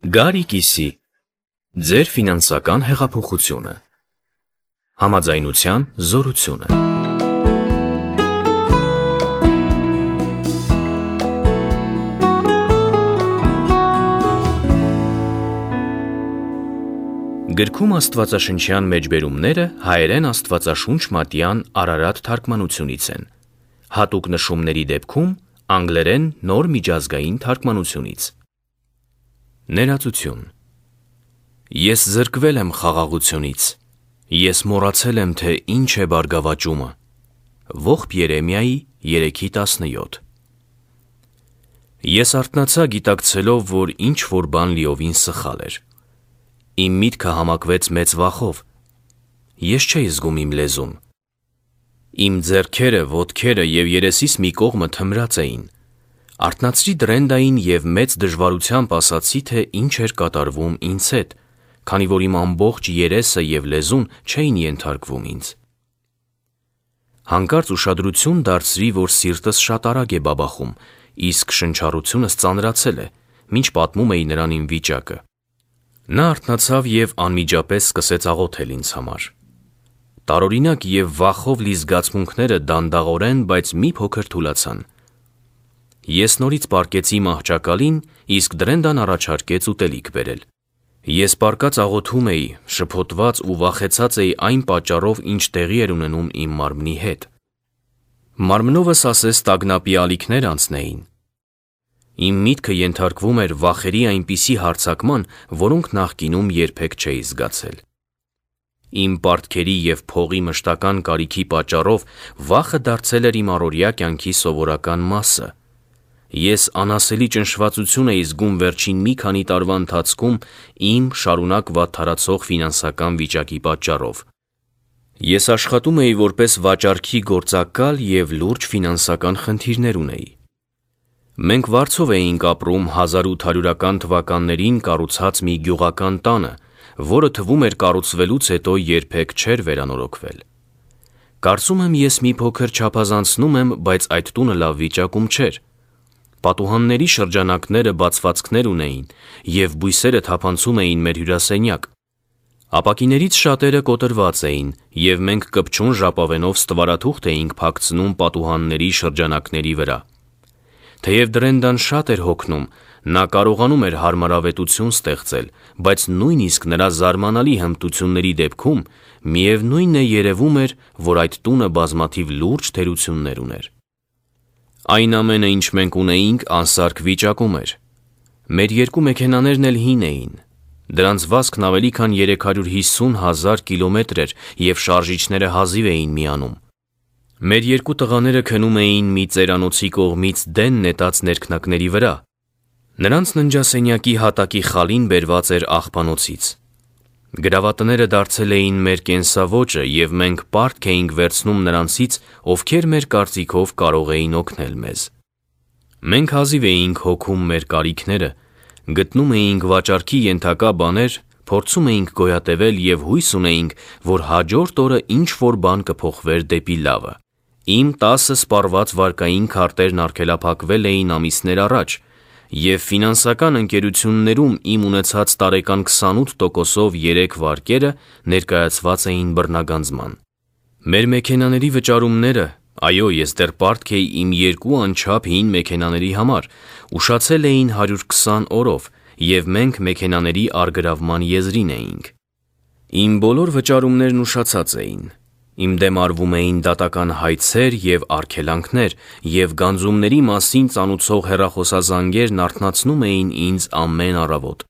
Գարի կիսի, ձեր ֆինանսական հեղափոխությունը, համաձայնության զորությունը։ Գրքում աստվածաշնչյան մեջբերումները հայերեն աստվածաշունչ մատյան Արարատ թարգմանությունից են, հատուկ նշումների դեպքում անգլերեն նոր միջազգային թարգմանությունից։ Ներածություն։ Ես զրկվել եմ խաղաղությունից, ես մոռացել եմ, թե ինչ է բարգավաճումը։ Ողբ Երեմիայի 3:17։ Ես արթնացա գիտակցելով, որ ինչ-որ բան լիովին սխալ էր։ Իմ միտքը համակվեց մեծ վախով։ Ես չէի զգում իմ լեզուն։ Իմ ձեռքերը, ոտքերը և երեսիս մի կողմը թմրած էին։ Արթնացրի դրենդային և մեծ դժվարությամբ ասացի, թե ինչ էր կատարվում ինձ հետ, քանի որ իմ ամբողջ երեսը և լեզուն չէին ենթարկվում ինձ։ Հանկարծ ուշադրություն դարձրի, որ սիրտս շատ արագ է բաբախում, իսկ շնչառությունս ծանրացել է, մինչ պատմում էի նրան իմ վիճակը։ Նա արթնացավ և անմիջապես սկսեց աղոթել ինձ համար։ Տարօրինակ և վախով լի զգացմունքները դանդաղորեն, բայց մի փոքր թուլացան։ Ես նորից պառկեցի մահճակալին, իսկ դրենդան առաջարկեց ուտելիք բերել։ Ես պառկած աղոթում էի, շփոթված ու վախեցած էի այն պատճառով, ինչ տեղի էր ունենում իմ մարմնի հետ։ Մարմնովս ասես տագնապի ալիքներ անցնեին։ Իմ միտքը ենթարկվում էր վախերի այնպիսի հարձակման, որոնք նախկինում երբեք չէի զգացել։ Իմ պարտքերի և փողի մշտական կարիքի պատճառով վախը դարձել էր իմ առօրյա կյանքի սովորական մասը։ Ես անասելի ճնշվածություն էի զգում վերջին մի քանի տարվա ընթացքում իմ շարունակ վատթարացող ֆինանսական վիճակի պատճառով։ Ես աշխատում էի որպես վաճառքի գործակալ և լուրջ ֆինանսական խնդիրներ ունեի։ Մենք վարձով էինք ապրում 1800-ական թվականներին կառուցած մի գյուղական տանը, որը թվում էր կառուցվելուց հետո երբեք չէր վերանորոգվել։ Կարծում եմ ես մի փոքր չափազանցնում եմ, բայց այդ տունը լավ վիճակում չէր։ Պատուհանների շրջանակները բացվածքներ ունեին, և բույսերը թափանցում էին մեր հյուրասենյակ։ Ապակիներից շատերը կոտրված էին, և մենք կպչուն ժապավենով ստվարաթուղթ էինք փակցնում պատուհանների շրջանակների վրա։ Թեև դրենդան շատ էր հոգնում, նա կարողանում էր հարմարավետություն ստեղծել, բայց նույնիսկ նրա զարմանալի հմտությունների դեպքում միևնույն է երևում էր, որ այդ տունը բազմաթիվ լուրջ թերություններ ուներ։ Այն ամենը, ինչ մենք ունեինք, անսարք վիճակում էր։ Մեր երկու մեքենաներն էլ հին էին։ Դրանց վազքն ավելի քան 350,000 կիլոմետր էր, և շարժիչները հազիվ էին միանում։ Մեր երկու տղաները քնում էին մի ծերանոցի կողմից դեն նետած ներքնակների վրա։ Նրանց ննջասենյակի հատակի խալին բերված էր աղբանոցից։ Գրավատները դարձել էին մեր կենսաոճը, և մենք պարտք էինք վերցնում նրանցից, ովքեր մեր կարծիքով կարող էին օգնել մեզ։ Մենք հազիվ էինք հոգում մեր կարիքները, գտնում էինք վաճառքի ենթակա բաներ, փորձում էինք գոյատևել և հույս ունեինք, որ հաջորդ օրը ինչ-որ բան կփոխվեր դեպի լավը։ Իմ 10 սպառված վարկային քարտերն արգելափակվել էին ամիսներ առաջ, և ֆինանսական ընկերություններում իմ ունեցած տարեկան 28%-ով 3 վարկերը ներկայացված էին բռնագանձման։ Մեր մեքենաների վճարումները, այո, ես դեռ պարտք էի իմ 2 անչափ հին մեքենաների համար, ուշացել էին 120 օրով, և մենք մեքենաների առգրավման եզրին էինք։ Իմ բոլոր վճարումներն ուշացած էին։ Իմ դեմ արվում էին դատական հայցեր և արգելանքներ, և գանձումների մասին ծանուցող հեռախոսազանգերն արթնացնում էին ինձ ամեն առավոտ։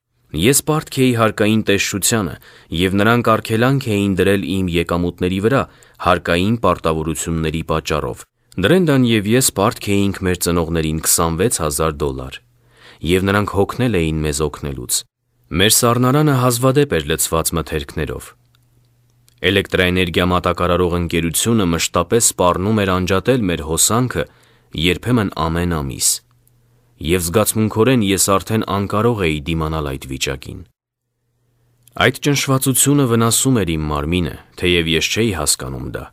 Ես պարտք էի հարկային տեսչությանը, և նրանք արգելանք էին դրել իմ եկամուտների վրա հարկային պարտավորությունների պատճառով։ Դրենդան և ես պարտք էինք մեր ծնողներին $26,000, և նրանք հոգնել էին մեզ օգնելուց։ Մեր սառնարանը հազվադեպ էր լցված մթերքներով։ Էլեկտրաէներգիա մատակարարող ընկերությունը մշտապես սպառնում էր անջատել մեր հոսանքը, երբեմն ամեն ամիս, և զգացմունքորեն ես արդեն անկարող էի դիմանալ այդ վիճակին։ Այդ ճնշվածությունը վնասում էր իմ մարմինը, թեև ես չէի հասկանում դա։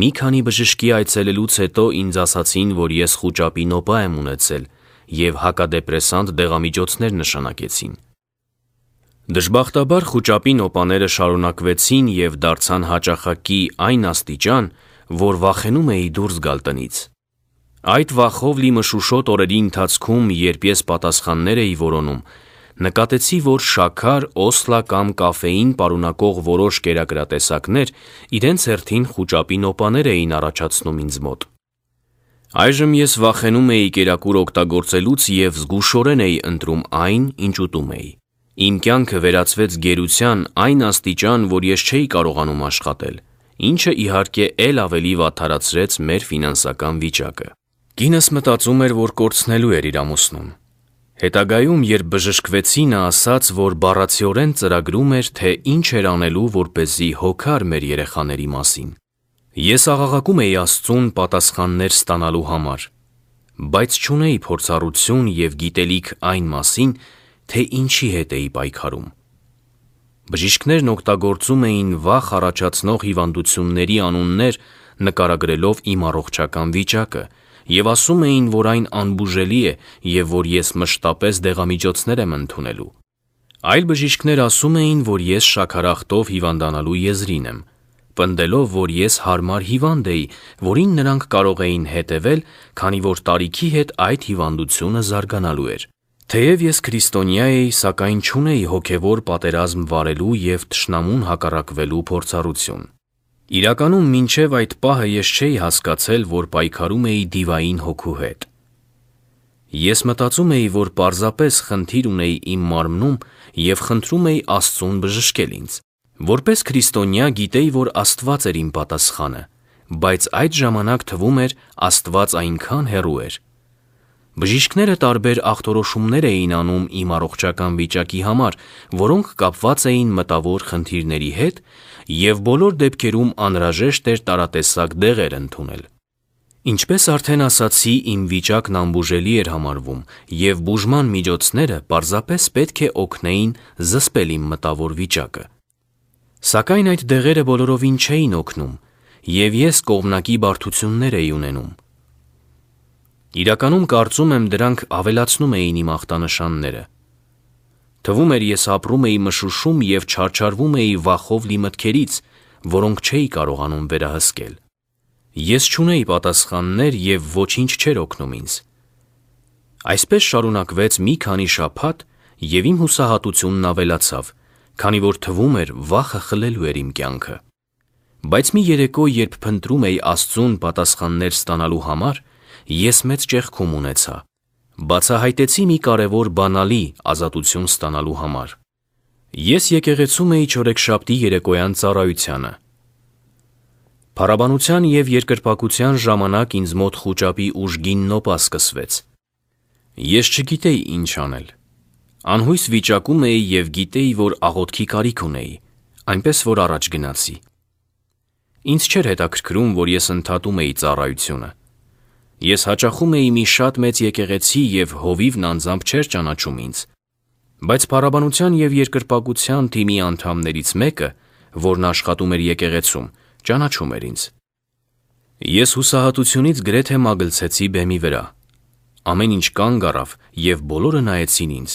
Մի քանի բժշկի այցելելուց հետո ինձ ասացին, որ ես խուճապի նոպա եմ ունեցել, և հակադեպրեսանտ դեղամիջոցներ նշանակեցին։ Դժբախտաբար խուճապի նոպաները շարունակվեցին և դարձան հաճախակի այն աստիճան, որ վախենում էի դուրս գալ տնից։ Այդ վախով լի մշուշոտ օրերի ընթացքում, երբ ես պատասխաններ էի որոնում, նկատեցի, որ շաքար, օսլա կամ կաֆեին պարունակող որոշ կերակրատեսակներ իրենց հերթին խուճապի նոպաներ էին առաջացնում ինձ մոտ։ Այժմ ես վախենում էի կերակուր օգտագործելուց և զգուշորեն էի ընտրում այն, ինչ ուտում էի։ Իմ կյանքը վերածվեց գերության այն աստիճան, որ ես չէի կարողանում աշխատել, ինչը իհարկե էլ ավելի վատթարացրեց մեր ֆինանսական վիճակը։ Կինս մտածում էր, որ կորցնելու էր իր ամուսնուն։ Հետագայում, երբ բժշկվեցի, նա ասաց, որ բառացիորեն ծրագրում էր, թե ինչ էր անելու, որպեսզի հոգար մեր երեխաների մասին։ Ես աղաղակում էի Աստծուն պատասխաններ ստանալու համար, բայց չունեի փորձառություն և գիտելիք այն մասին, թե ինչի հետ էի պայքարում։ Բժիշկներն օգտագործում էին վախ առաջացնող հիվանդությունների անուններ, նկարագրելով իմ առողջական վիճակը, և ասում էին, որ այն անբուժելի է և որ ես մշտապես դեղամիջոցներ եմ ընդունելու։ Այլ բժիշկներ ասում էին, որ ես շաքարախտով հիվանդանալու եզրին եմ, պնդելով, որ ես հարմար հիվանդ էի, որին նրանք կարող էին հետևել, քանի որ տարիքի հետ այդ հիվանդությունը զարգանալու էր։ Թեև ես քրիստոնյա էի, սակայն չունեի հոգևոր պատերազմ վարելու և թշնամուն հակառակվելու փորձառություն։ Իրականում մինչև այդ պահը ես չէի հասկացել, որ պայքարում էի դիվային հոգու հետ։ Ես մտածում էի, որ պարզապես խնդիր ունեի իմ մարմնում և խնդրում էի Աստծուն բժշկել ինձ։ Որպես քրիստոնյա գիտեի, որ Աստված էր իմ պատասխանը, բայց այդ ժամանակ թվում էր Աստված այնքան հեռու էր։ Բժիշկները տարբեր ախտորոշումներ էին անում իմ առողջական վիճակի համար, որոնք կապված էին մտավոր խնդիրների հետ, և բոլոր դեպքերում անհրաժեշտ էր տարատեսակ դեղեր ընդունել։ Ինչպես արդեն ասացի, իմ վիճակն անբուժելի էր համարվում, և բուժման միջոցները պարզապես պետք է օգնեին զսպել իմ մտավոր վիճակը։ Սակայն այդ դեղերը բոլորովին չէին օգնում, և ես կողմնակի բարդություններ էի ունենում։ Իրականում կարծում եմ դրանք ավելացնում էին իմ ախտանշանները։ Թվում էր ես ապրում էի մշուշում և չարչարվում էի վախով լի մտքերից, որոնք չէի կարողանում վերահսկել։ Ես չունեի պատասխաններ և ոչինչ չէր օգնում ինձ։ Այսպես շարունակվեց մի քանի շաբաթ, և իմ հուսահատությունն ավելացավ, քանի որ թվում էր վախը խլելու էր իմ կյանքը։ Բայց մի երեկո, երբ փնտրում էի Աստծուն պատասխաններ ստանալու համար, ես մեծ ճեղքում ունեցա։ Բացահայտեցի մի կարևոր բանալի ազատություն ստանալու համար։ Ես եկեղեցում էի չորեքշաբթի երեկոյան ծառայությանը։ Փառաբանության և երկրպագության ժամանակ ինձ մոտ խուճապի ուժգին նոպա սկսվեց։ Ես չգիտեի ինչ անել։ Անհույս վիճակում էի և գիտեի, որ աղոթքի կարիք ունեի, այնպես որ առաջ գնացի։ Ինձ չէր հետաքրքրում, որ ես ընդհատում էի ծառայությունը։ Ես հաճախում էի մի շատ մեծ եկեղեցի և հովիվն անձամբ չէր ճանաչում ինձ, բայց փառաբանության և երկրպագության թիմի անդամներից մեկը, որն աշխատում էր եկեղեցում, ճանաչում էր ինձ։ Ես հուսահատությունից գրեթե մագլցեցի բեմի վրա։ Ամեն ինչ կանգ առավ, և բոլորը նայեցին ինձ։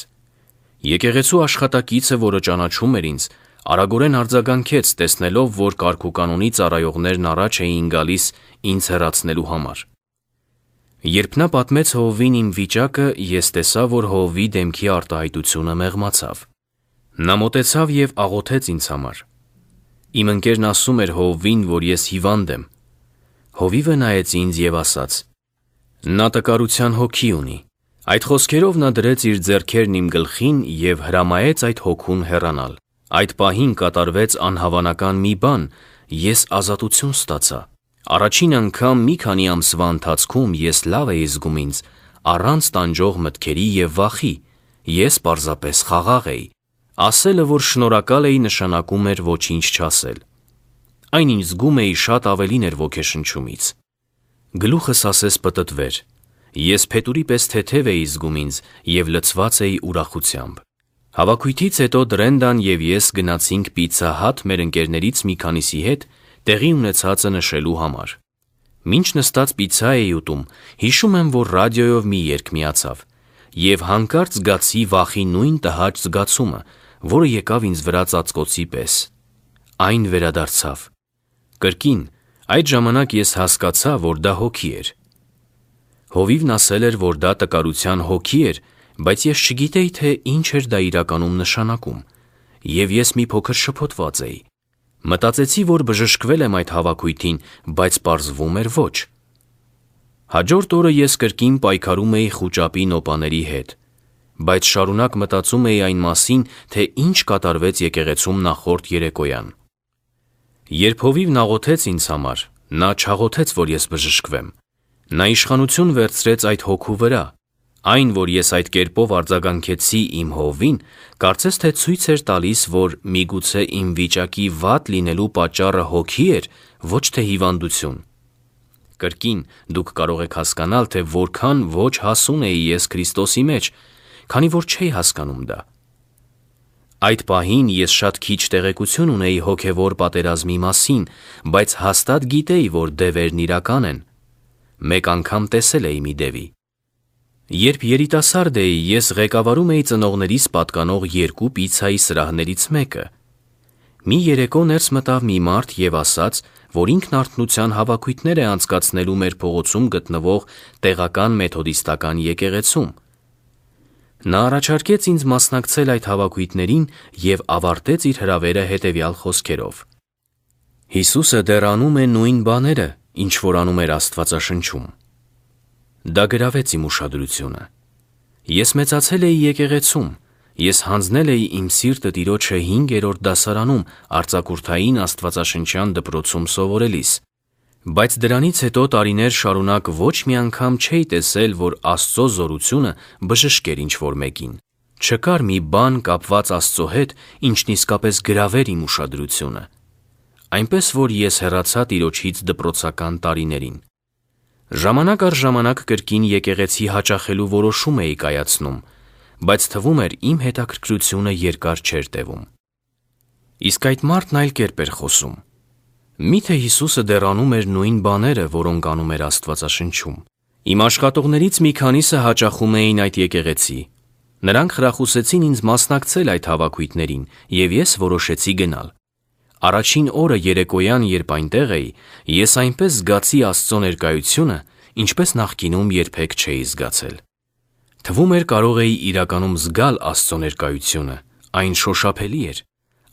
Եկեղեցու աշխատակիցը, որը ճանաչում էր ինձ, արագորեն արձագանքեց, տեսնելով, որ կարգուկանոնի ծառայողներն առաջ էին գալիս ինձ հեռացնելու համար։ Երբ նա պատմեց հովվին իմ վիճակը, ես տեսա, որ հովվի դեմքի արտահայտությունը մեղմացավ։ Նա մոտեցավ և աղոթեց ինձ համար։ Իմ ընկերն ասում էր հովվին, որ ես հիվանդ եմ։ Հովիվը նայեց ինձ և ասաց. «Նա տկարության հոգի ունի»։ Այդ խոսքերով նա դրեց իր ձեռքերն իմ գլխին և հրամայեց այդ հոգուն հեռանալ։ Այդ պահին կատարվեց անհավանական մի բան, ես ազատություն ստացա։ Առաջին անգամ մի քանի ամսվա ընթացքում ես լավ էի զգում ինձ, առանց տանջող մտքերի և վախի, ես պարզապես խաղաղ էի։ Ասելը, որ շնորհակալ էի, նշանակում էր ոչինչ չասել։ Այն, ինչ զգում էի, շատ ավելին էր ոգեշնչումից։ Գլուխս ասես պտտվեր։ Ես փետուրի պես թեթև էի զգում ինձ և լցված էի ուրախությամբ։ Հավաքույթից հետո Դրենդան և ես գնացինք Պիցցա Հաթ մեր ընկերներից մի քանիսի հետ տեղի ունեցածը նշելու համար։ Մինչ նստած պիցցա էի ուտում, հիշում եմ, որ ռադիոյով մի երգ միացավ, Եվ հանկարծ զգացի վախի նույն տհաճ զգացումը, որը եկավ ինձ վրա ծածկոցի պես։ Այն վերադարձավ։ Կրկին, այդ ժամանակ ես հասկացա, որ դա հոգի էր։ Հովիվն ասել էր, որ դա տկարության հոգի էր, բայց ես չգիտեի, թե ինչ էր դա իրականում նշանակում, և ես մի փոքր շփոթված էի։ Մտածեցի, որ բժշկվել եմ այդ հավաքույթին, բայց պարզվում էր ոչ։ Հաջորդ օրը ես կրկին պայքարում էի խուճապի նոպաների հետ, բայց շարունակ մտածում էի այն մասին, թե ինչ կատարվեց եկեղեցում նախորդ երեկոյան։ Երբ Հովիվն աղոթեց ինձ համար, նա չաղոթեց, որ ես բժշկվեմ։ Նա իշխանություն վերցրեց այդ հոգու վրա։ Այն, որ ես այդ կերպով արձագանքեցի իմ հովին, կարծես թե ցույց էր տալիս, որ միգուցե իմ վիճակի վատ լինելու պատճառը հոգի էր, ոչ թե հիվանդություն։ Կրկին, դուք կարող եք հասկանալ, թե որքան ոչ հասուն էի ես Քրիստոսի մեջ, քանի որ չէի հասկանում դա։ Այդ պահին ես շատ քիչ տեղեկություն ունեի հոգևոր պատերազմի մասին, բայց հաստատ գիտեի, որ դևերն իրական են։ Մեկ անգամ տեսել էի մի դևի։ Երբ երիտասարդ էի, ես ղեկավարում էի ծնողներիս պատկանող 2 պիցցայի սրահներից մեկը։ Մի երեկո ներս մտավ մի մարդ և ասաց, որ ինքն արթնության հավաքույթներ է անցկացնելու մեր փողոցում գտնվող տեղական մեթոդիստական եկեղեցում։ Նա առաջարկեց ինձ մասնակցել այդ հավաքույթներին և ավարտեց իր հրավերը հետևյալ խոսքերով. Հիսուսը դեռ անում է նույն բաները, ինչ որ անում էր Աստվածաշնչում։ Դա գրավեց իմ ուշադրությունը։ Ես մեծացել էի եկեղեցում, ես հանձնել էի իմ սիրտը Տիրոջը 5-րդ դասարանում արձակուրդային աստվածաշնչյան դպրոցում սովորելիս, բայց դրանից հետո տարիներ շարունակ ոչ մի անգամ չէի տեսել, որ Աստծո զորությունը բժշկեր ինչ-որ մեկին։ Չկար մի բան կապված Աստծո հետ, ինչն իսկապես գրավեր իմ ուշադրությունը։ Այնպես որ ես հեռացա Տիրոջից դպրոցական տարիներին։ Ժամանակ առ ժամանակ կրկին եկեղեցի հաճախելու որոշում էի կայացնում, բայց թվում էր իմ հետաքրքրությունը երկար չէր տևում։ Իսկ այդ մարդն այլ կերպ էր խոսում։ Միթե Հիսուսը դեռ անում էր նույն բաները, որոնք անում էր Աստվածաշնչում։ Իմ աշխատողներից մի քանիսը հաճախում էին այդ եկեղեցի։ Նրանք խրախուսեցին ինձ մասնակցել այդ հավաքույթներին, և ես որոշեցի գնալ։ Առաջին օրը երեկոյան, երբ այնտեղ էի, ես այնպես զգացի Աստծո ներկայությունը, ինչպես նախկինում երբեք չէի զգացել։ Թվում էր կարող էի իրականում զգալ Աստծո ներկայությունը, այն շոշափելի էր։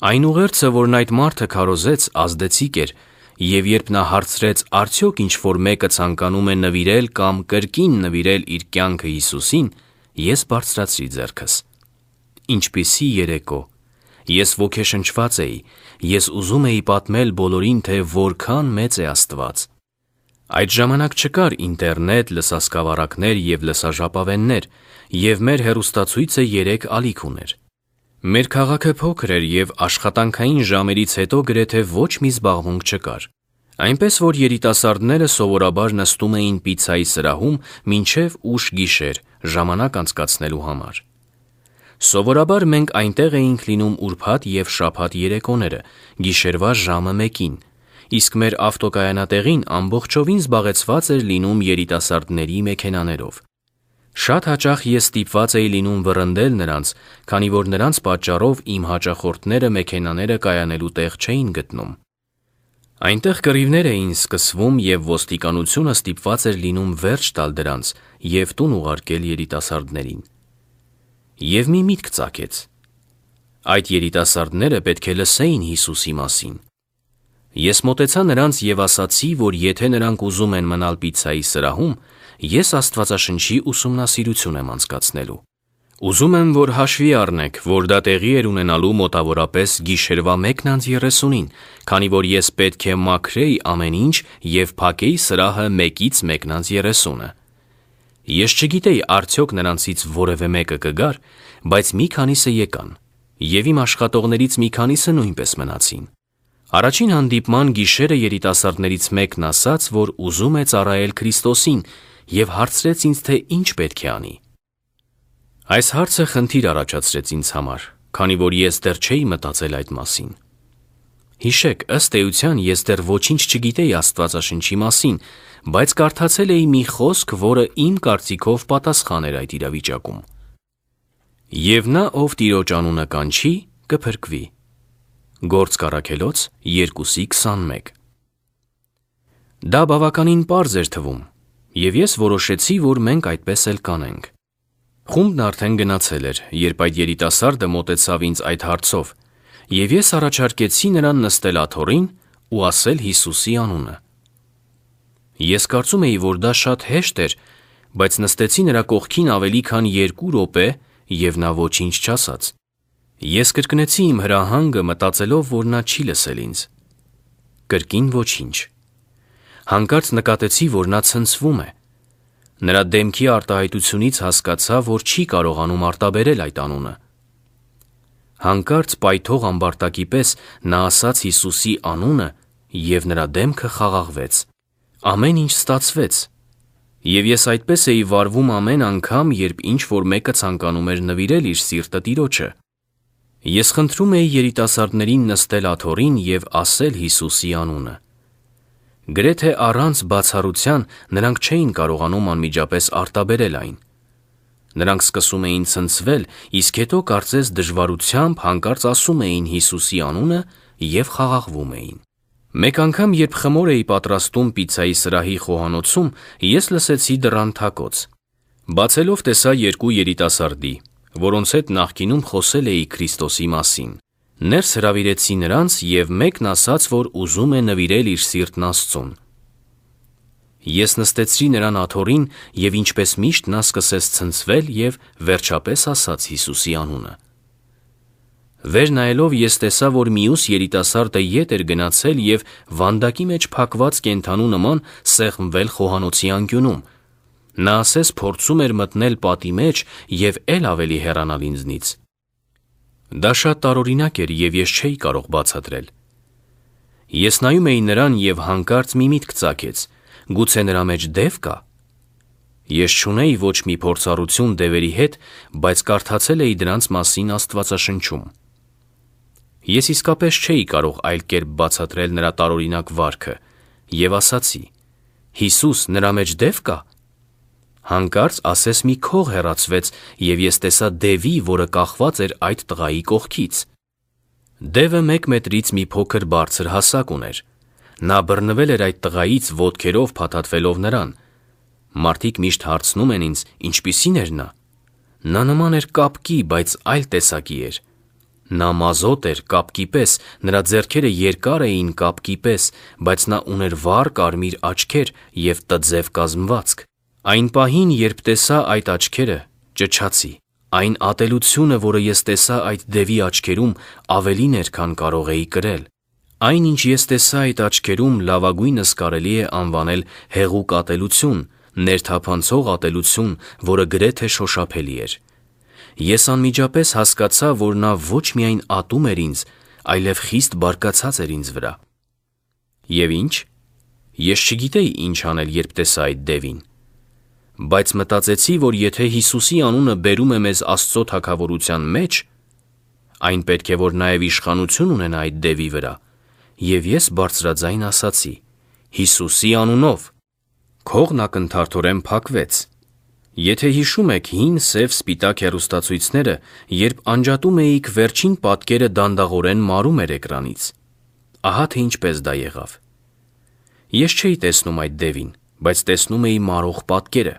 Այն ուղերձը, որն այդ մարդը քարոզեց, ազդեցիկ էր, և երբ նա հարցրեց, արդյոք ինչ-որ մեկը ցանկանում է նվիրել կամ կրկին նվիրել իր կյանքը Հիսուսին, ես բարձրացրի ձեռքս։ Ինչպիսի երեկո։ Ես ոգեշնչված էի, ես ուզում էի պատմել բոլորին, թե որքան մեծ է Աստված։ Այդ ժամանակ չկար ինտերնետ, լսասկավառակներ և լսաժապավեններ, և մեր հեռուստացույցը 3 ալիք ուներ։ Մեր քաղաքը փոքր էր և աշխատանքային ժամերից հետո գրեթե ոչ մի զբաղմունք չկար։ Այնպես որ երիտասարդները սովորաբար նստում էին պիցցայի սրահում մինչև ուշ գիշեր ժամանակ անցկացնելու համար։ Սովորաբար մենք այնտեղ էինք լինում ուրբաթ և շաբաթ երեկոները, գիշերվա ժամը 1-ին, իսկ մեր ավտոկայանատեղին ամբողջովին զբաղեցված էր լինում երիտասարդների մեքենաներով։ Շատ հաճախ ես ստիպված էի լինում վռնդել նրանց, քանի որ նրանց պատճառով իմ հաճախորդները մեքենաները կայանելու տեղ չէին գտնում։ Այնտեղ կռիվներ էին սկսվում և ոստիկանությունը ստիպված էր լինում վերջ տալ դրանց և տուն ուղարկել երիտասարդներին։ Եվ մի միտք ծագեց. այդ երիտասարդները պետք է լսեին Հիսուսի մասին։ Ես մոտեցա նրանց և ասացի, որ եթե նրանք ուզում են մնալ պիցցայի սրահում, ես Աստվածաշնչի ուսումնասիրություն եմ անցկացնելու։ Ուզում եմ, որ հաշվի առնեք, որ դա տեղի էր ունենալու մոտավորապես գիշերվա 1:30-ին, քանի որ ես պետք է մաքրեի ամեն ինչ և փակեի սրահը 1:30-ը։ Ես չգիտեի արդյոք նրանցից որևէ մեկը կգար, բայց մի քանիսը եկան, և իմ աշխատողներից մի քանիսը նույնպես մնացին։ Առաջին հանդիպման գիշերը երիտասարդներից մեկն ասաց, որ ուզում է ծառայել Քրիստոսին և հարցրեց ինձ, թե ինչ պետք է անի։ Այս հարցը խնդիր առաջացրեց ինձ համար, քանի որ ես դեռ չէի մտածել այդ մասին։ Հիշեք, ըստ էության ես դեռ ոչինչ չգիտեի Աստվածաշնչի մասին, բայց կարդացել էի մի խոսք, որը իմ կարծիքով պատասխան էր այդ իրավիճակում։ Եվ նա, ով Տիրոջ անունը կանչի, կփրկվի։ Գործք Առաքելոց 2:21։ Դա բավականին պարզ էր թվում, եւ ես որոշեցի, որ մենք այդպես էլ կանենք։ Խումբն արդեն գնացել էր, երբ այդ երիտասարդը մոտեցավ ինձ այդ հարցով, եւ ես առաջարկեցի նրան նստել աթոռին ու ասել Հիսուսի անունը։ Ես կարծում էի, որ դա շատ հեշտ էր, բայց նստեցի նրա կողքին ավելի քան 2 րոպե եւ նա ոչինչ չասաց։ Ես կրկնեցի իմ հրահանգը, մտածելով, որ նա չի լսել ինձ։ Կրկին ոչինչ։ Հանկարծ նկատեցի, որ նա ցնցվում է։ Նրա դեմքի արտահայտությունից հասկացա, որ չի կարողանում արտաբերել այդ անունը։ Հանկարծ պայթող ամբարտակի պես նա ասաց Հիսուսի անունը եւ նրա դեմքը խաղաղվեց։ Ամեն ինչ ստացվեց։ Եվ ես այդպես էի վարվում ամեն անգամ, երբ ինչ-որ մեկը ցանկանում էր նվիրել իր սիրտը Տիրոջը։ Ես խնդրում էի երիտասարդներին նստել աթոռին եւ ասել Հիսուսի անունը։ Գրեթե առանց բացառության նրանք չէին կարողանում անմիջապես արտաբերել այն։ Նրանք սկսում էին ցնցվել, իսկ հետո կարծես դժվարությամբ հանկարծ ասում էին Հիսուսի անունը եւ խաղաղվում էին։ Մեկ անգամ, երբ խմոր էի պատրաստում պիցցայի սրահի խոհանոցում, ես լսեցի դռան թակոց։ Բացելով տեսա 2 երիտասարդի, որոնց հետ նախկինում խոսել էի Քրիստոսի մասին։ Ներս հրավիրեցի նրանց եւ մեկն ասաց, որ ուզում է նվիրել իր սիրտն Աստծուն։ Ես նստեցրի նրան աթոռին եւ ինչպես միշտ նա սկսեց ցնցվել եւ վերջապես ասաց Հիսուսի անունը։ Վեր նայելով ես տեսա, որ մյուս երիտասարդը ետ էր գնացել եւ վանդակի մեջ փակված կենդանու նման սեղմվել խոհանոցի անկյունում։ Նա ասես փորձում էր մտնել պատի մեջ եւ էլ ավելի հեռանալ ինձնից։ Դա շատ տարօրինակ էր եւ ես չէի կարող բացատրել։ Ես նայում էի նրան եւ հանկարծ մի միտք ծագեց. գուցե նրա մեջ դև կա։ Ես չունեի ոչ մի փորձառություն դևերի հետ, բայց կարդացել էի դրանց մասին Աստվածաշնչում։ Ես իսկապես չէի կարող այլ կերպ բացատրել նրա տարօրինակ վարքը եւ ասացի. Հիսուս, նրա մեջ դև կա։ Հանկարծ ասես մի քող հեռացվեց եւ ես տեսա դևի, որը կախված էր այդ տղայի կողքից։ Դևը 1 մետրից մի փոքր բարձր հասակ ուներ։ Նա բռնվել էր այդ տղայից ոտքերով փաթաթվելով նրան։ Մարդիկ միշտ հարցնում են ինձ, ինչպիսին էր նա։ Նա նման էր կապկի, բայց այլ տեսակի էր։ Նա մազոտ էր կապկի պես, նրա ձեռքերը երկար էին կապկի պես, բայց նա ուներ վառ կարմիր աչքեր եւ տձև կազմվածք։ Այն պահին, երբ տեսա այդ աչքերը, ճչացի։ Այն ատելությունը, որը ես տեսա այդ դևի աչքերում, ավելին էր, քան կարող էի կրել։ Այն, ինչ ես տեսա այդ աչքերում, լավագույնս կարելի է անվանել հեղուկ ատելություն, ներթափանցող ատելություն, որը գրեթե շոշափելի էր։ Ես անմիջապես հասկացա, որ նա ոչ միայն ատում էր ինձ, այլև խիստ բարկացած էր ինձ վրա։ Եվ ինչ։ Ես չգիտեի ինչ անել, երբ տեսա այդ դևին։ Բայց մտածեցի, որ եթե Հիսուսի անունը բերում է մեզ Աստծո թագավորության մեջ, այն պետք է որ նաև իշխանություն ունենա այդ դևի վրա։ Եվ ես բարձրաձայն ասացի. Հիսուսի անունով։ Քողն ակնթարթորեն փակվեց։ Եթե հիշում եք հին սև սպիտակ հեռուստացույցները, երբ անջատում էիք, վերջին պատկերը դանդաղորեն մարում էր էկրանից։ Ահա թե ինչպես դա եղավ։ Ես չէի տեսնում այդ դևին, բայց տեսնում էի մարող պատկերը։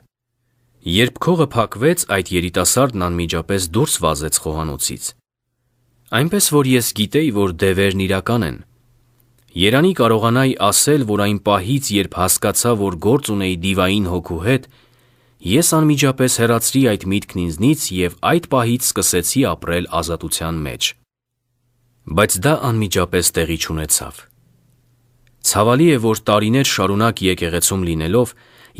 Երբ քողը փակվեց, այդ երիտասարդն անմիջապես դուրս վազեց խոհանոցից։ Այնպես որ ես գիտեի, որ դևերն իրական են։ Երանի կարողանայի ասել, որ այն պահից, երբ հասկացա, որ գործ ունեի դիվային հոգու հետ, ես անմիջապես հեռացրի այդ միտքն ինձնից եւ այդ պահից սկսեցի ապրել ազատության մեջ։ Բայց դա անմիջապես տեղի չունեցավ։ Ցավալի է, որ տարիներ շարունակ եկեղեցում լինելով,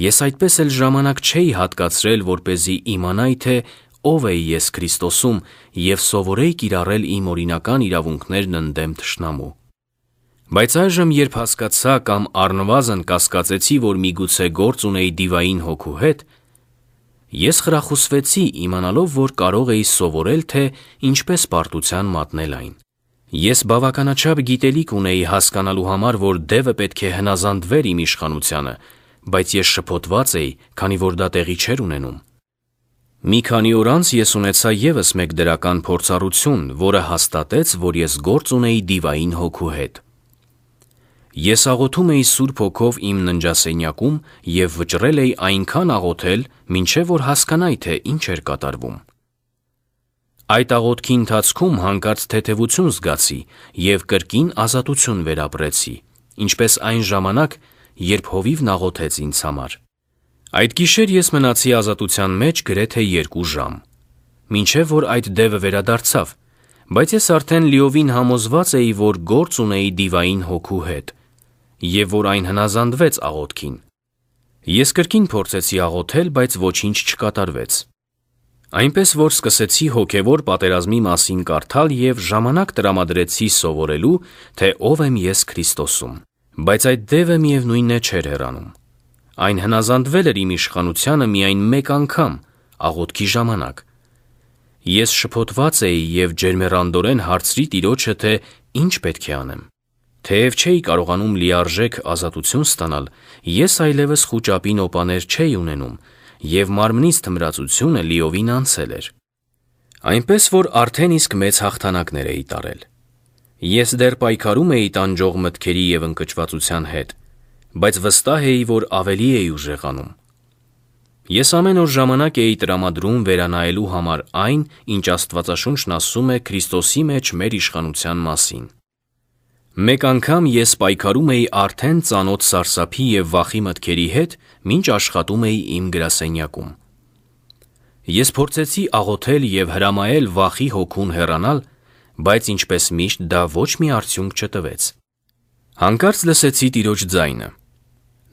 ես այդպես էլ ժամանակ չէի հատկացրել, որպեսզի իմանայի, թե ով էի ես Քրիստոսում եւ սովորեի կիրառել իմ օրինական իրավունքներն ընդդեմ թշնամու։ Բայց այժմ, երբ հասկացա կամ առնվազն կասկածեցի, որ միգուցե գործ ունեի դիվային հոգու հետ, ես խրախուսվեցի իմանալով, որ կարող էի սովորել, թե ինչպես պարտության մատնել այն։ Ես բավականաչափ գիտելիք ունեի հասկանալու համար, որ դևը պետք է հնազանդվեր իմ իշխանությանը, բայց ես շփոթված էի, քանի որ դա տեղի չէր ունենում։ Մի քանի օր անց ես ունեցա ևս մեկ դրական փորձառություն, որը հաստատեց, որ ես գործ ունեի դիվային հոգու հետ։ Ես աղոթում էի Սուրբ Հոգով իմ ննջասենյակում և վճռել էի այնքան աղոթել, մինչև որ հասկանայի, թե ինչ էր կատարվում։ Այդ աղոթքի ընթացքում հանկարծ թեթևություն զգացի և կրկին ազատություն վերապրեցի, ինչպես այն ժամանակ, երբ հովիվն աղոթեց ինձ համար։ Այդ գիշեր ես մնացի ազատության մեջ գրեթե 2 ժամ, մինչև որ այդ դևը վերադարձավ, բայց ես արդեն լիովին համոզված էի, որ գործ ունեի դիվային հոգու հետ, և որ այն հնազանդվեց աղոթքին։ Ես կրկին փորձեցի աղոթել, բայց ոչինչ չկատարվեց։ Այնպես որ սկսեցի հոգևոր պատերազմի մասին կարդալ և ժամանակ տրամադրեցի սովորելու, թե ով եմ ես Քրիստոսում, բայց այդ դևը միևնույն է չէր հեռանում։ Այն հնազանդվել էր իմ իշխանությանը միայն մեկ անգամ, աղոթքի ժամանակ։ Ես շփոթված էի և ջերմեռանդորեն հարցրի Տիրոջը, թե ինչ պետք է անեմ։ Թեև չէի կարողանում լիարժեք ազատություն ստանալ, ես այլևս խուճապի նոպաներ չէի ունենում, և մարմնից թմրածությունը լիովին անցել էր։ Այնպես որ արդեն իսկ մեծ հաղթանակներ էի տարել։ Ես դեռ պայքարում էի տանջող մտքերի և ընկճվածության հետ, բայց վստահ էի, որ ավելի էի ուժեղանում։ Ես ամեն օր ժամանակ էի տրամադրում վերանայելու համար այն, ինչ Աստվածաշունչն ասում է Քրիստոսի մեջ մեր իշխանության մասին։ Մեկ անգամ ես պայքարում էի արդեն ծանոթ սարսափի և վախի մտքերի հետ, մինչ աշխատում էի իմ գրասենյակում։ Ես փորձեցի աղոթել և հրամայել վախի հոգուն հեռանալ, բայց ինչպես միշտ դա ոչ մի արդյունք չտվեց։ Հանկարծ լսեցի Տիրոջ ձայնը։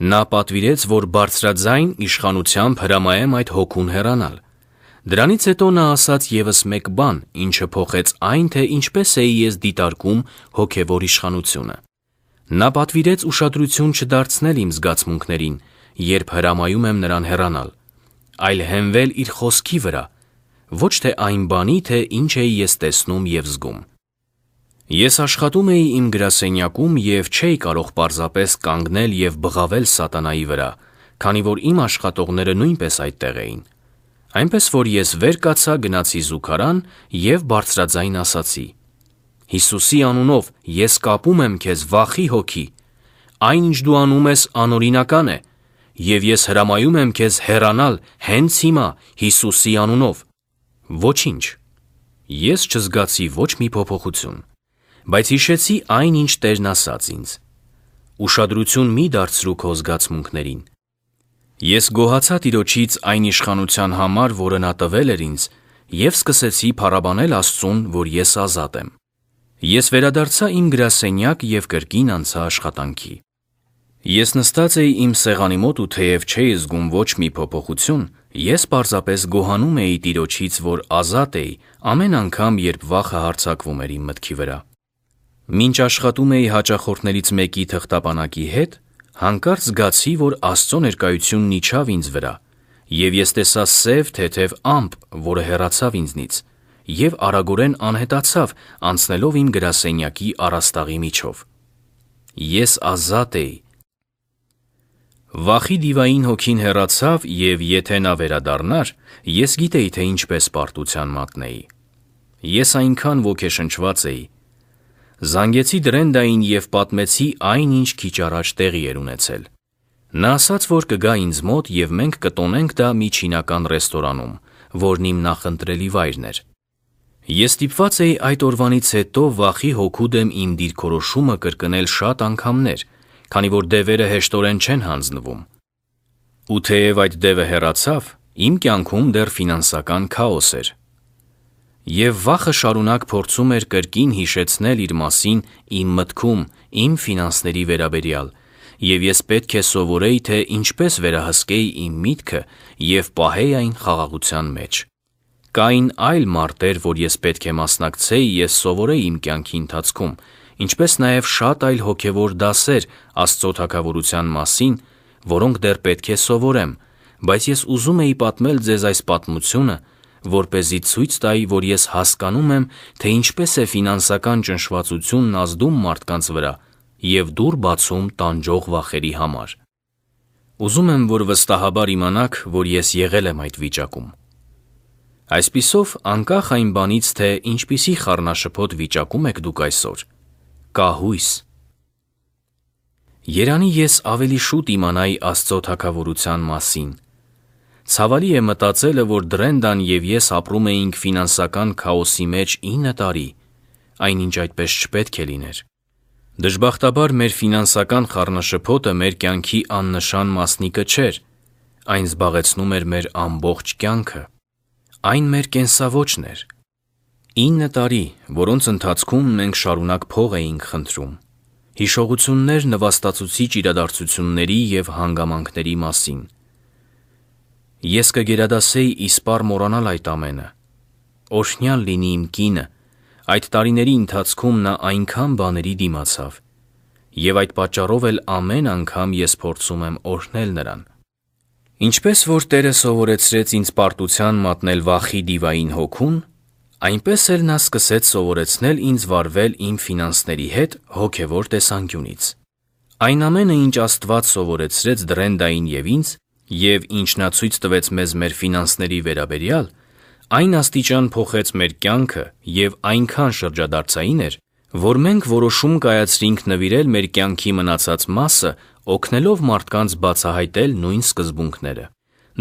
Նա պատվիրեց, որ բարձրաձայն իշխանությամբ հրամայեմ այդ հոգուն հեռանալ։ Դրանից հետո նա ասաց ևս մեկ բան, ինչը փոխեց այն, թե ինչպես էի ես դիտարկում հոգևոր իշխանությունը։ Նա պատվիրեց ուշադրություն չդարձնել իմ զգացմունքներին, երբ հրամայում եմ նրան հեռանալ, այլ հենվել իր խոսքի վրա, ոչ թե այն բանի, թե ինչ էի ես տեսնում և զգում։ Ես աշխատում էի իմ գրասենյակում և չէի կարող պարզապես կանգնել և բղավել սատանայի վրա, քանի որ իմ աշխատողները նույնպես այդտեղ էին։ Այնպես որ ես վեր կացա, գնացի զուգարան և բարձրաձայն ասացի. «Հիսուսի անունով ես կապում եմ քեզ վախի հոգի, այն ինչ դու անում ես անօրինական է, և ես հրամայում եմ քեզ հեռանալ հենց հիմա Հիսուսի անունով»։ Ոչինչ։ Ես չզգացի ոչ մի փոփոխություն, բայց հիշեցի այն, ինչ Տերն ասաց ինձ. «Ուշադրություն մի դարձրու քո զգացմունքներին»։ Ես գոհացա Տիրոջից այն իշխանության համար, որը նա տվել էր ինձ, և սկսեցի փառաբանել Աստծուն, որ ես ազատ եմ։ Ես վերադարձա իմ գրասենյակ և կրկին անցա աշխատանքի։ Ես նստած էի իմ սեղանի մոտ ու թեև չէի զգում ոչ մի փոփոխություն, ես պարզապես գոհանում էի Տիրոջից, որ ազատ էի ամեն անգամ, երբ վախը հարձակվում էր իմ մտքի վրա։ Մինչ աշխատում էի հաճախորդներից մեկի թղթապանակի հետ, հանկարծ զգացի, որ Աստծո ներկայությունն իջավ ինձ վրա, և ես տեսա սև թեթև ամպ, որը հեռացավ ինձնից և արագորեն անհետացավ, անցնելով իմ գրասենյակի առաստաղի միջով։ Ես ազատ էի։ Վախի դիվային հոգին հեռացավ, և եթե նա վերադառնար, ես գիտեի, թե ինչպես պարտության մատնեի։ Ես այնքան ոգեշնչված էի։ Զանգեցի Դրենդային և պատմեցի այն, ինչ քիչ առաջ տեղի էր ունեցել։ Նա ասաց, որ կգա ինձ մոտ և մենք կտոնենք դա մի չինական ռեստորանում, որն իմ նախընտրելի վայրն էր։ Ես ստիպված էի այդ օրվանից հետո վախի հոգու դեմ իմ դիրքորոշումը կրկնել շատ անգամներ, քանի որ դևերը հեշտորեն չեն հանձնվում։ Ու թեև այդ դևը հեռացավ, իմ կյանքում դեռ ֆինանսական քաոս էր։ Եվ վախը շարունակ փորձում էր կրկին հիշեցնել իր մասին իմ մտքում, իմ ֆինանսների վերաբերյալ, և ես պետք է սովորեի, թե ինչպես վերահսկեի իմ միտքը և պահեի այն խաղաղության մեջ։ Կային այլ մարտեր, որ ես պետք է մասնակցեի, ես սովորեի իմ կյանքի ընթացքում, ինչպես նաև շատ այլ հոգևոր դասեր Աստծո թագավորության մասին, որոնք դեռ պետք է սովորեմ, բայց ես ուզում էի պատմել ձեզ այս պատմությունը, որպեսզի ցույց տայի, որ ես հասկանում եմ, թե ինչպես է ֆինանսական ճնշվածությունն ազդում մարդկանց վրա և դուռ բացում տանջող վախերի համար։ Ուզում եմ, որ վստահաբար իմանաք, որ ես եղել եմ այդ վիճակում։ Այսպիսով, անկախ այն բանից, թե ինչպիսի խառնաշփոթ վիճակում եք դուք այսօր, կա հույս։ Երանի ես ավելի շուտ իմանայի Աստծո թագավորության մասին։ Ցավալի է մտածելը, որ Դրենդան և ես ապրում էինք ֆինանսական քաոսի մեջ 9 տարի, այնինչ այդպես չպետք է լիներ։ Դժբախտաբար մեր ֆինանսական խառնաշփոթը մեր կյանքի աննշան մասնիկը չէր, այն զբաղեցնում էր մեր ամբողջ կյանքը։ Այն մեր կենսավոճն էր։ 9 տարի, որոնց ընթացքում մենք շարունակ փող էինք խնդրում, հիշողություններ նվաստացուցիչ իրադարձությունների և հանգամանքների մասին։ Ես կգերադասեի իսպառ մոռանալ այդ ամենը։ Օրհնյալ լինի իմ կինը, այդ տարիների ընթացքում նա այնքան բաների դիմացավ, և այդ պատճառով էլ ամեն անգամ ես փորձում եմ օրհնել նրան։ Ինչպես որ Տերը սովորեցրեց ինձ պարտության մատնել վախի դիվային հոգուն, այնպես էլ նա սկսեց սովորեցնել ինձ վարվել իմ ֆինանսների հետ հոգևոր տեսանկյունից։ Այն ամենը, ինչ Աստված սովորեցրեց Դրենդային և ինձ, և ինչ նա ցույց տվեց մեզ մեր ֆինանսների վերաբերյալ, այն աստիճան փոխեց մեր կյանքը և այնքան շրջադարձային էր, որ մենք որոշում կայացրինք նվիրել մեր կյանքի մնացած մասը օգնելով մարդկանց բացահայտել նույն սկզբունքները։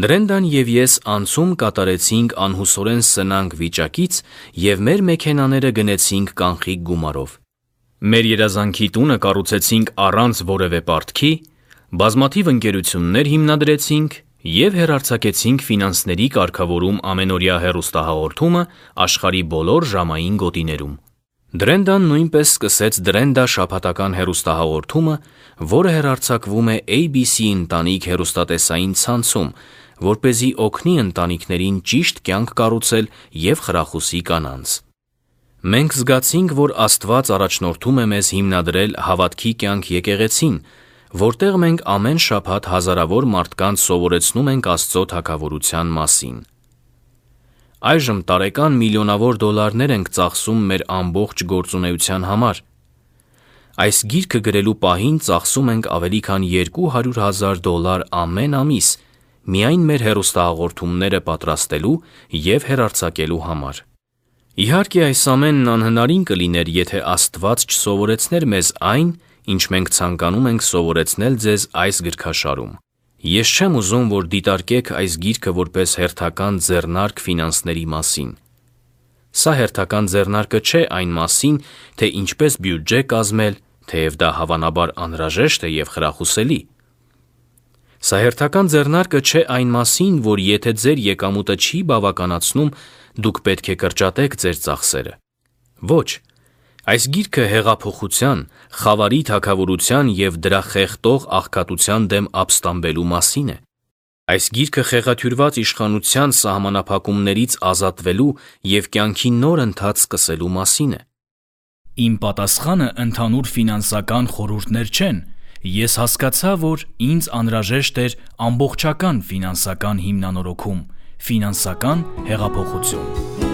Դրենդան և ես անցում կատարեցինք անհուսորեն սնանկ վիճակից և մեր մեքենաները գնեցինք կանխիկ գումարով։ Մեր երազանքի տունը կառուցեցինք առանց որևէ պարտքի, բազմաթիվ ընկերություններ հիմնադրեցինք և հեռարձակեցինք ֆինանսների կարգավորում ամենօրյա հեռուստահաղորդումը աշխարհի բոլոր ժամային գոտիներում։ Դրենդան նույնպես սկսեց Դրենդա շաբաթական հեռուստահաղորդումը, որը հեռարձակվում է ABC ընտանիք հեռուստատեսային ցանցում, որպեսզի օգնի ընտանիքներին ճիշտ կյանք կառուցել և խրախուսի կանանց։ Մենք զգացինք, որ Աստված առաջնորդում է մեզ հիմնադրել Հավատքի կյանք եկեղեցին, որտեղ մենք ամեն շաբաթ հազարավոր մարդկանց սովորեցնում ենք Աստծո թագավորության մասին։ Այժմ տարեկան միլիոնավոր դոլարներ ենք ծախսում մեր ամբողջ գործունեության համար։ Այս գիրքը գրելու պահին ծախսում ենք ավելի քան $200,000 ամեն ամիս միայն մեր հեռուստահաղորդումները պատրաստելու և հեռարձակելու համար։ Իհարկե, այս ամենն անհնարին կլիներ, եթե Աստված չսովորեցներ մեզ այն, ինչ մենք ցանկանում ենք սովորեցնել ձեզ այս գրքաշարում։ Ես չեմ ուզում, որ դիտարկեք այս գիրքը որպես հերթական ձեռնարկ ֆինանսների մասին։ Սա հերթական ձեռնարկը չէ այն մասին, թե ինչպես բյուջե կազմել, թեև դա հավանաբար անհրաժեշտ է և խրախուսելի։ Սա հերթական ձեռնարկը չէ այն մասին, որ եթե ձեր եկամուտը չի բավականացնում, դուք պետք է կրճատեք ձեր ծախսերը։ Ոչ, այս գիրքը հեղափոխության, խավարի թագավորության և դրա խեղդող աղքատության դեմ ապստամբելու մասին է։ Այս գիրքը խեղաթյուրված իշխանության սահմանափակումներից ազատվելու և կյանքի նոր ընթաց սկսելու մասին է։ Իմ պատասխանը ընդհանուր ֆինանսական խորհուրդներ չեն։ Ես հասկացա, որ ինձ անհրաժեշտ էր ամբողջական ֆինանսական հիմնանորոգում, ֆինանսական հեղափոխություն։